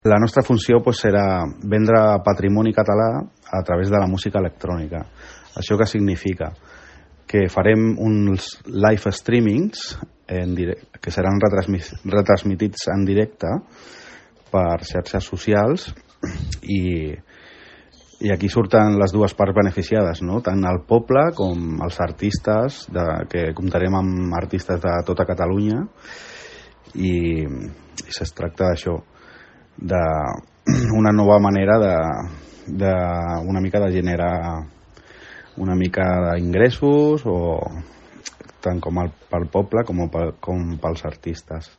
La nostra funció serà vendre patrimoni català a través de la música electrònica. Això què significa? Que farem uns live streamings que seran retransmitits en directe per xarxes socials i aquí surten les dues parts beneficiades, no? Tant el poble com els artistes, que comptarem amb artistes de tota Catalunya i es tracta d'això, d'una nova manera una mica de generar una mica d'ingressos, o tant com pel poble com pels artistes.